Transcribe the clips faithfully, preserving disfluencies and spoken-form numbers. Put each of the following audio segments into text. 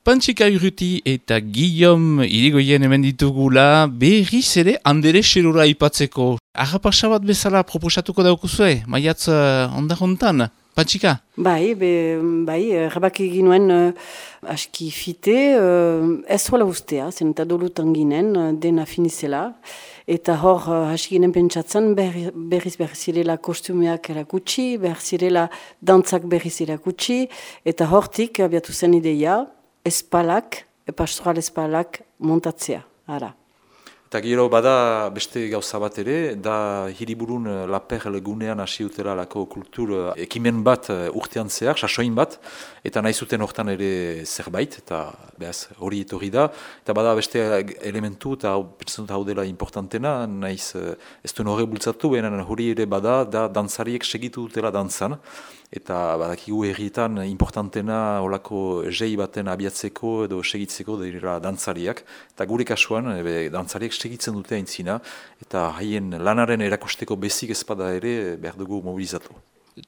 Pantsika Urruti eta Guillaume Irigoyen hemen ditugula berriz ere Andere Xerura ipatzeko. Arrapasa bat bezala proposatuko daukuzue, maiatz uh, ondarrontan, Pantsika? Bai, be, bai, erabaki ginuen uh, aski fite, uh, ez hola ustea, zen eta dolutan ginen, uh, dena finizela. Eta hor, uh, hasi ginen pentsatzen, berri, berriz berriz zirela kostumeak erakutsi, berriz zirela dantzak berriz erakutsi, eta hortik abiatu zen ideia, espalak, pastoral espalak montatzea, ara. Eta gero bada beste gauza bat ere, da hiriburun Laperle gunean hasi utela lako kultur ekimen bat urtean zehar, sasoin bat, eta nahi zuten hortan ere zerbait, eta behaz hori etorri da, eta bada beste elementu, eta pentsatzen hau dela importantena, nahiz ez duen horre bultzatu, baina hori ere bada, da dantzariek segitu dutela dantzan, eta badakigu herrietan importantena olako jei baten abiatzeko edo segitzeko dira dantzariak, eta gure kasuan ebe, dantzariak segitzen dute aintzina, eta haien lanaren erakusteko bezik ezpada ere behar dugu mobilizatu.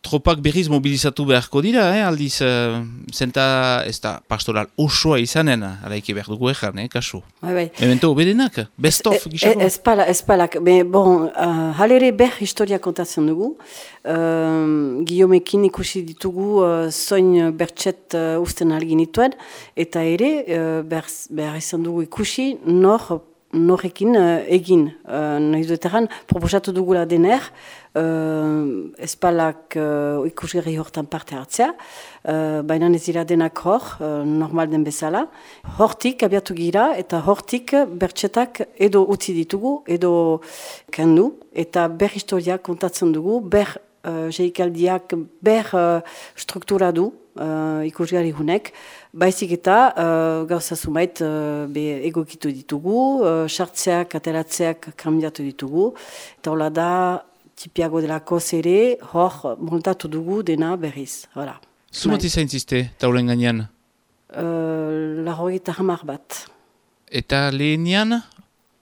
Tropak berriz mobilizatu beharko dira, eh? Aldiz, uh, zenta ez da pastoral osoa izanen, araiki behar dugu ezan, eh, kasu. Bai, bai. Memento berenak, best of gixako. Ez pala, ez palak, bon, uh, halere ber historia kontatzen dugu, uh, Guillaumekin ikusi ditugu uh, zoin bertxet uh, usten algin dituen, eta ere, uh, behar, behar izan dugu ikusi nor norrekin uh, egin. Uh, Nahi dueteran, proposatu dugula dener, uh, espalak uh, ikusgerri hortan parte hartzea, uh, baina ez dira denak hor, uh, normal den bezala. Hortik abiatu gira, eta hortik bertxetak edo utzi ditugu, edo kendu, eta ber historia kontatzen dugu, ber uh, jeikaldiak, ber uh, struktura du, Uh, ikusgarri hunek, baizik eta uh, gauza zumait uh, be egokitu ditugu, uh, sartzeak, ateratzeak kambiatu ditugu, eta hola da tipiago delako zere, hor montatu dugu dena berriz. Voilà. Zumati zaintziste, taulen gainean? Uh, Larrogeita hamar bat. Eta lehenian?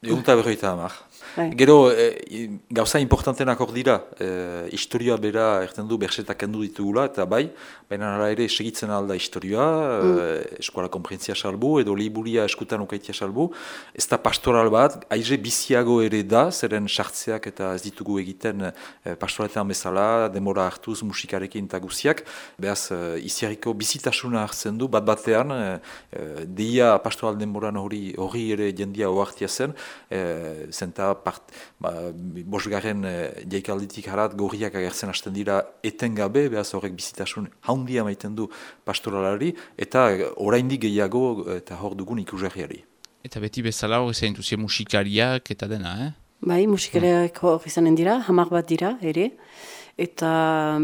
Egunta berroita hamar. Bai. Gero, e, gauza importantenak hor dira, e, historioa bera erten du bersetak kendu ditugula, eta bai, baina hala ere segitzen alda historioa, mm. e, eskola konprentzia salbu, edo liburia eskutan ukaitia salbu, ez da pastoral bat, aize biziago ere da, zeren sartzeak eta ez ditugu egiten e, pastoraletan bezala, demora hartuz musikarekin eta guziak, behaz, e, iziarriko bizitasuna hartzen du, bat batean, e, deia pastoral demoran hori, hori ere jendia oartia zen, e, zenta Part, ba, bosgarren e, jaikalditik harat gorriak agertzen hasten dira etengabe, behaz horrek bizitasun handia maiten du pastoralari, eta oraindik gehiago eta hor dugun ikusgarriari. Eta beti bezala hori zaintuzia musikariak eta dena, eh? Bai, musikariak hor izanen dira, hamar bat dira ere, eta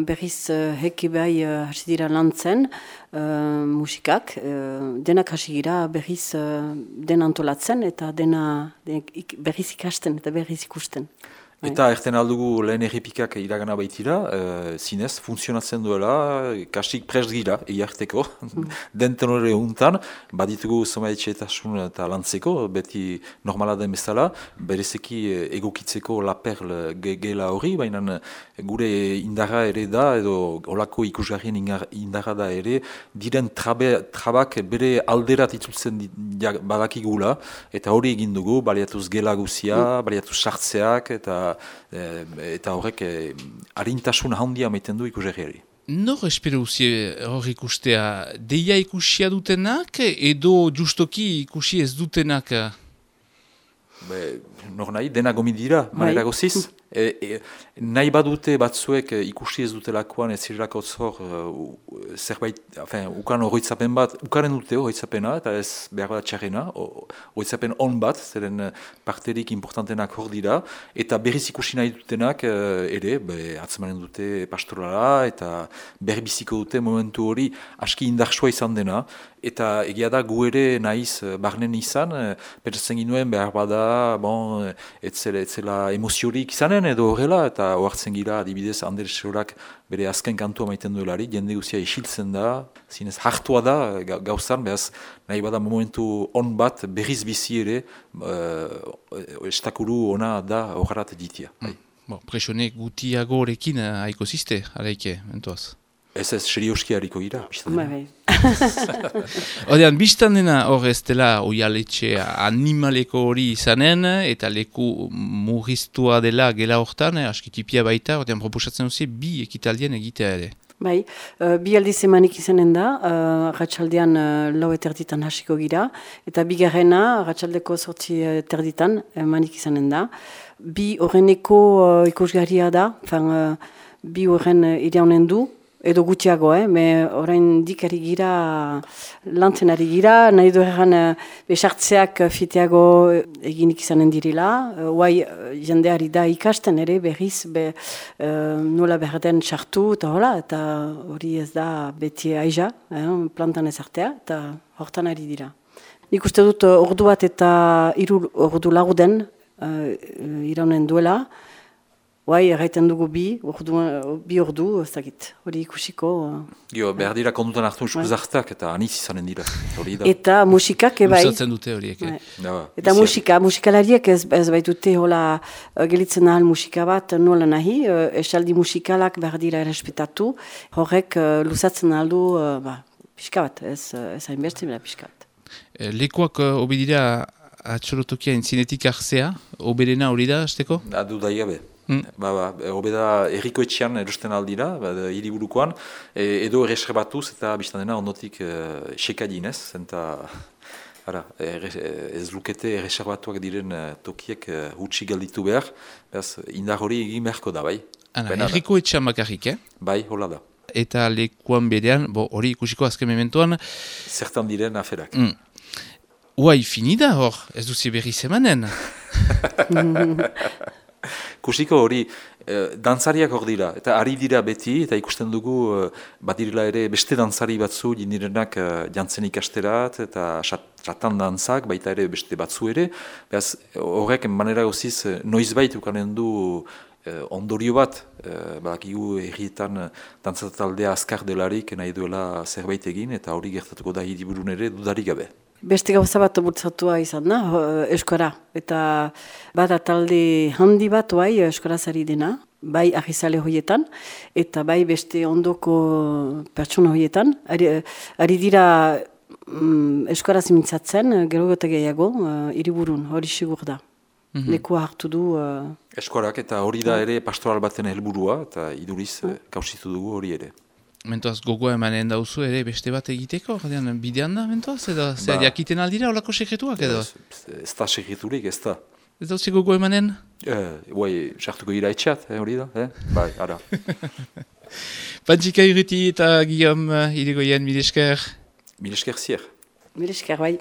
berriz uh, heki bai uh, hasi dira lantzen uh, musikak, uh, denak hasi gira berriz uh, dena antolatzen eta dena denak, ik, berriz ikasten eta berriz ikusten. Eta erten aldugu lehen errepikak iragana baitira, e, zinez, funtzionatzen duela, kasik prest gira, egiarteko, mm. den tenore untan, baditugu zomaetxeetasun eta lantzeko, beti normala den bezala, berezeki egokitzeko Laperle gela hori, baina gure indarra ere da, edo olako ikusgarrien indarra da ere, diren trabe, trabak bere alderat itzultzen badakigula, eta hori egin dugu, baliatuz gela guzia, mm. baliatuz sartzeak, eta eta horrek eh, harintasun handia maiten du ikusgarriari. Nor espero uzie hor ikustea? Deia ikusia dutenak edo justoki ikusi ez dutenak? Be, nor nahi, dena gomi dira, manera goziz. E, e, nahi badute batzuek ikusi ez dutelakoan ez zirelako zor uh, zerbait, afen, ukan horretzapen bat, ukaren dute horretzapena, eta ez behar bat txarrena, horretzapen on bat, zeren parterik importantenak hor dira, eta berriz ikusi nahi dutenak uh, ere, be, atzemanen dute pastorala, eta berbiziko dute momentu hori aski indartsua izan dena, eta egia da gu ere nahiz barnen izan, pentsatzen ginuen behar bada, bon, etzela, etzela emoziorik izanen, edo horrela, eta ohartzen gira adibidez Andere Xerurak bere azken kantua maiten duelari, jende guzia isiltzen da, zinez hartua da gauzan, behaz nahi bada momentu on bat berriz bizi ere, uh, estakuru ona da horrat ditia. Mm. Bon, presionek gutiago horrekin haiko ziste, araike, entoaz. Ez ez, serioski hariko gira. Bai, bai. Odean, biztan dena hor ez dela oialetxe animaleko hori izanen, eta leku murriztua dela gela hortan, eh, askitipia baita, odean proposatzen duzi bi ekitaldien egitea ere. Bai, uh, bi aldiz emanik izanen da, uh, ratxaldean uh, lau eterditan hasiko gira, eta bigarrena ratxaldeko sortzi eterditan emanik izanen da. Bi horreneko uh, ikusgarria da, fan, uh, bi horren uh, iraunen du, edo gutxiago, eh? Me orain dikari gira, lantzen ari gira, nahi du erran besartzeak fiteago eginik izanen dirila. Huai jendeari da ikasten ere berriz, be, uh, nola berden sartu eta hola, eta hori ez da beti aiza, eh? Plantan ezartea, eta hortan ari dira. Nik uste dut ordu bat eta hiru ordu lauden uh, iraunen duela, Bai, erraiten dugu bi, ordu, bi ordu, ez dakit, hori ikusiko. Jo, behar dira kondutan hartu uskuzartak eta aniz izanen dira. Eta musikak ebai. Luzatzen dute horiek. Bai. Ja, eta musika, musikalariek ez, ez baitute hola gelitzen ahal musika bat nola nahi, esaldi musikalak behar dira errespetatu, horrek luzatzen aldu, ba, pixka bat, ez, ez hainbeste, pixka bat. Lekuak obidira atxolotokia entzinetik hartzea, oberena hori da, azteko? Adu da gabe. Mm. Ba, ba, obeda erriko etxean erosten aldira, ba, hiriburukoan, e, edo erreserbatuz eta biztan dena ondotik e, sekadinez, eta ara, erre, ez lukete erreserbatuak diren e, tokiek e, hutsi gelditu behar, behaz, indar hori egin beharko da, bai. Ana, erriko etxean bakarrik, eh? Bai, hola da. Eta lekuan berean, hori ikusiko azken mementoan. Zertan diren aferak. Mm. Uai, finida hor, ez duzi berri zemanen. Kusiko hori, eh, dantzariak hor dira, eta ari dira beti, eta ikusten dugu eh, badirela ere beste dantzari batzu jindirenak eh, jantzen ikasterat, eta ratan dantzak, baita ere beste batzu ere, behaz horrek manera goziz eh, noizbait ukanen du eh, ondorio bat, eh, badakigu herrietan dantzataldea azkar delarik nahi duela zerbait egin, eta hori gertatuko da hiriburun ere dudarik gabe. Beste gauza bat bultzatua izan da, eskora. Eta bada talde handi bat bai eskorazari dena, bai ahizale horietan, eta bai beste ondoko pertsona horietan. Ari, ari dira mm, eskoraz mintzatzen, gero eta gehiago, uh, hiriburun, hori sigur da. Mm-hmm. Lekua hartu du. Uh, Eskorak eta hori da ere pastoral baten helburua, eta iduriz mm. kausitu dugu hori ere. Mentoaz gogoa emanen dauzu ere beste bat egiteko, bidean da, mentoaz, edo zer ba, jakiten aldira olako sekretuak edo? Ez da sekreturik, ez da. Ez dauzi gogoa emanen? Guai, eh, sartuko gira etxat, eh, hori da, eh? Bai, ara. Pantzika Urruti eta Guillaume Irigoyen, mil esker. Mil esker zier. Mil esker, bai.